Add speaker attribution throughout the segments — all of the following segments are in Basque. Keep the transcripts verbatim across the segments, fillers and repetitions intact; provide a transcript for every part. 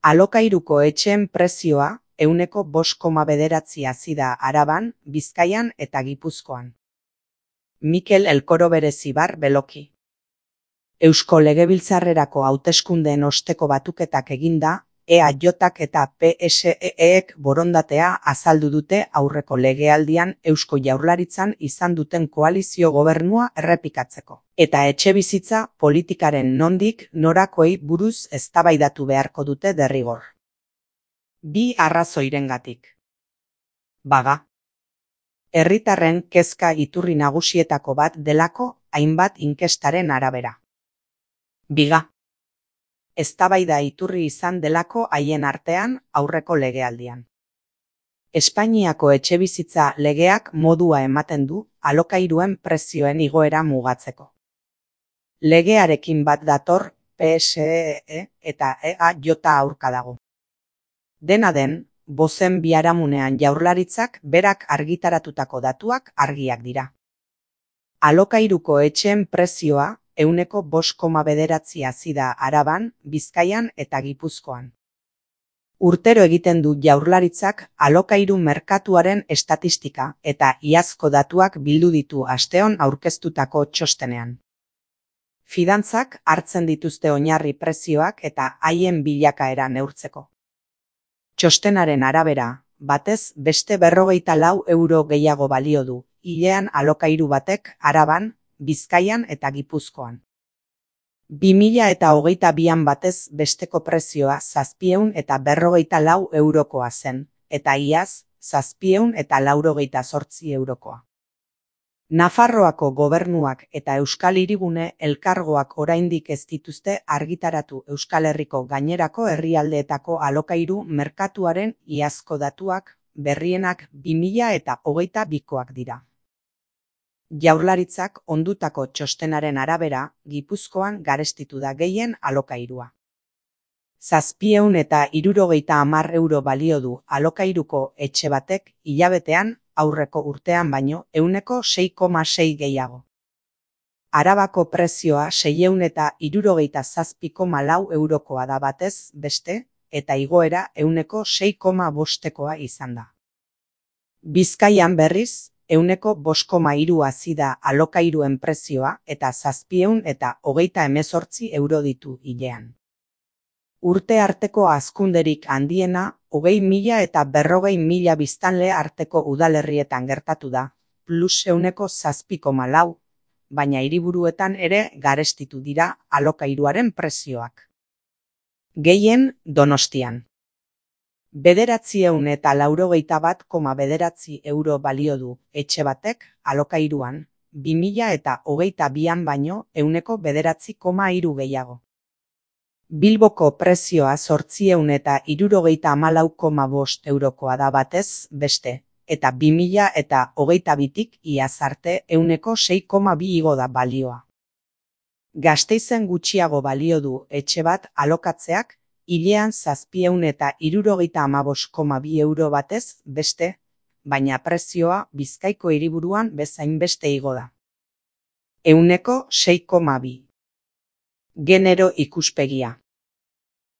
Speaker 1: Alokairuko etxeen prezioa ehuneko bost koma bederatzi hazi da Araban, Bizkaian eta Gipuzkoan. Mikel Elkoro Berezibar Beloki. Eusko Legebiltzarrerako hauteskundeen osteko batuketak eginda, E A Jk eta P S E ek borondatea azaldu dute aurreko legealdian Eusko Jaurlaritzan izan duten koalizio gobernua errepikatzeko. Eta etxebizitza politikaren nondik norakoei buruz eztabaidatu beharko dute derrigor. Bi arrazoirengatik. Baga. Herritarren kezka iturri nagusietako bat delako hainbat inkestaren arabera. Biga. Eztabaida iturri izan delako haien artean aurreko legealdian. Espainiako etxebizitza legeak modua ematen du alokairuen prezioen igoera mugatzeko. Legearekin bat dator P S E eta E A J aurka dago. Dena den, bozen biharamunean Jaurlaritzak berak argitaratutako datuak argiak dira. Alokairuko etxeen prezioa ehuneko bost koma bederatzi hazi da Araban, Bizkaian eta Gipuzkoan. Urtero egiten du Jaurlaritzak alokairu merkatuaren estatistika eta iazko datuak bildu ditu asteon aurkeztutako txostenean. Fidantzak hartzen dituzte oinarri prezioak eta haien bilakaera neurtzeko. Txostenaren arabera, batez beste berrogeita lau euro gehiago balio du, hilean alokairu batek Araban, Bizkaian eta Gipuzkoan. Bi mila eta hogeita bian batez besteko prezioa zazpiehun eta berrogeita lau eurokoa zen, eta iaz zazpiehun eta laurogeita zortzi eurokoa. Nafarroako gobernuak eta Euskal Hirigune elkargoak oraindik ez dituzte argitaratu Euskal Herriko gainerako herrialdeetako alokairu merkatuaren iazko datuak, berrienak bi mila eta hogeita bikoak dira. Jaurlaritzak ondutako txostenaren arabera, Gipuzkoan garestitu da gehien alokairua. Zazpiehun eta hirurogeita hamar euro balio du alokairuko etxe batek hilabetean aurreko urtean baino ehuneko sei koma sei gehiago. Arabako prezioa seiehun eta hirurogeita zazpi koma lau eurokoa da batez beste, eta igoera ehuneko sei koma bostekoa izan da. Bizkaian berriz, ehuneko bost koma hiru hazi da alokairuen prezioa eta zazpiehun eta hogeita hemezortzi euro ditu hilean. Urte arteko hazkunderik handiena hogei mila eta berrogei mila biztanle arteko udalerrietan gertatu da, plus ehuneko zazpi koma lau, baina hiriburuetan ere garestitu dira alokairuaren prezioak. Gehien Donostian. Bederatziehun eta laurogeita bat koma bederatzi euro balio du etxe batek alokairuan, bi mila eta hogeita bian baino ehuneko bederatzi koma hiru gehiago. Bilboko prezioa zortziehun eta hirurogeita hamalau koma bost eurokoa da batez beste, eta bi mila eta hogeita bitik iaz arte ehuneko sei koma bi igo da balioa. Gasteizen gutxiago balio du etxe bat alokatzeak, hilean zazpiehun eta hirurogeita hamabost koma bi euro batez beste, baina prezioa Bizkaiko hiriburuan bezain beste igo da. Ehuneko sei koma bi. Genero ikuspegia.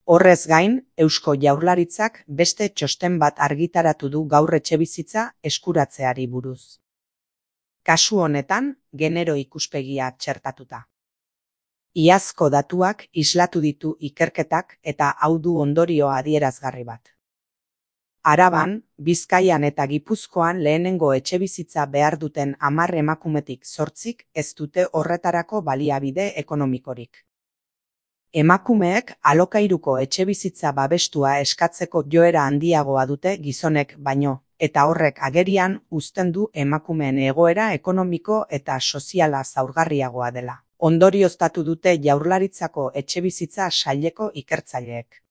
Speaker 1: Horrez gain, Eusko Jaurlaritzak beste txosten bat argitaratu du gaur etxebizitza eskuratzeari buruz. Kasu honetan, genero ikuspegia txertatuta. Iazko datuak islatu ditu ikerketak eta hau du ondorio adierazgarri bat. Araban, Bizkaian eta Gipuzkoan lehenengo etxebizitza behar duten hamar emakumetik zortzik ez dute horretarako baliabide ekonomikorik. Emakumeek alokairuko etxebizitza babestua eskatzeko joera handiagoa dute gizonek baino, eta horrek agerian uzten du emakumeen egoera ekonomiko eta soziala zaurgarriagoa dela. Ondorioztatu dute Jaurlaritzako etxebizitza saileko ikertzaileek.